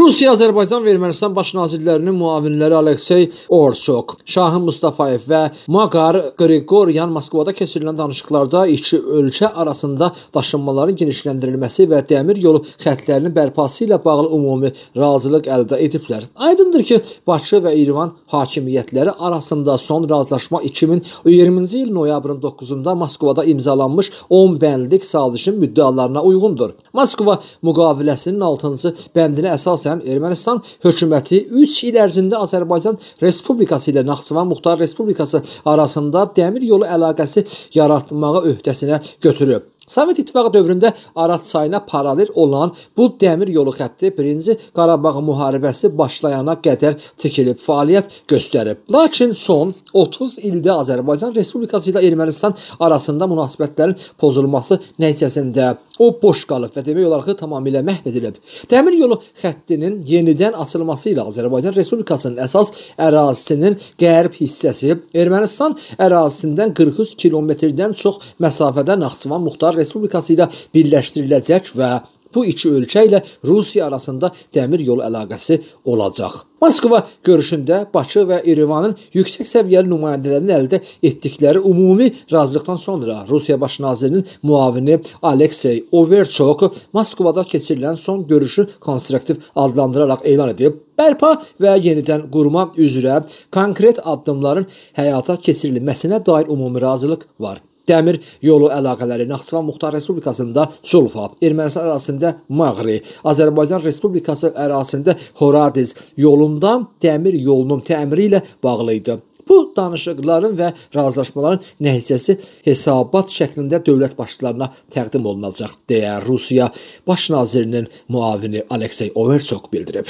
Rusiya, Azərbaycan və Ermənistan baş nazirlərinin müavinləri Aleksey Orçok, Şahin Mustafayev və Maqar Qriqoryan Moskvada keçirilən danışıqlarda iki ölkə arasında daşınmaların genişləndirilməsi və dəmir yolu xəttlərinin bərpası ilə bağlı ümumi razılıq əldə ediblər. Aydındır ki, Bakı və İrəvan hakimiyyətləri arasında son razılaşma 2020-ci il noyabrın 9-da Moskvada imzalanmış 10 bəndlik sazişin müddəalarına uyğundur. Moskva müqaviləsinin 6-cı bəndinə əsasən Ermənistan hökuməti 3 il ərzində Azərbaycan Respublikası ilə Naxçıvan Muxtar Respublikası arasında dəmir yolu əlaqəsi yaratmağı öhdəsinə götürüb. Sovet İttifaqı dövründə Araz çayına paralel olan bu dəmir yolu xətti 1-ci Qarabağ müharibəsi başlayana qədər tikilib fəaliyyət göstərib. Lakin son 30 ildə Azərbaycan Respublikası ilə Ermənistan arasında münasibətlərin pozulması nəticəsində o boş qalıb və demək olar ki, tamamilə məhv edilib. Dəmir yolu xəttinin yenidən açılması ilə Azərbaycan Respublikasının əsas ərazisinin qərb hissəsi Ermənistan ərazisindən 43 kilometrdən çox məsafədə Naxçıvan Muxtar Respublikası ilə birləşdiriləcək və bu iki ölkə ilə Rusiya arasında dəmir yolu əlaqəsi olacaq. Moskva görüşündə Bakı və İrəvanın yüksək səviyyəli nümayəndələrinin əldə etdikləri ümumi razılıqdan sonra Rusiya baş nazirinin müavini Aleksey Overchok Moskvada keçirilən son görüşü konstruktiv adlandıraraq elan edib. Bərpa və yenidən qurma üzrə konkret addımların həyata keçirilməsinə dair ümumi razılıq var. Dəmir yolu əlaqələri Naxçıvan Muxtar Respublikasında Çulfa, Ermənistan ərazisində Mağri, Azərbaycan Respublikası ərazisində Horadiz yolunda dəmir yolunun təmiri ilə bağlı idi. Bu danışıqların və razılaşmaların nəticəsi hesabat şəklində dövlət başçılarına təqdim olunacaq, deyə Rusiya baş nazirinin müavini Aleksey Overchok bildirib.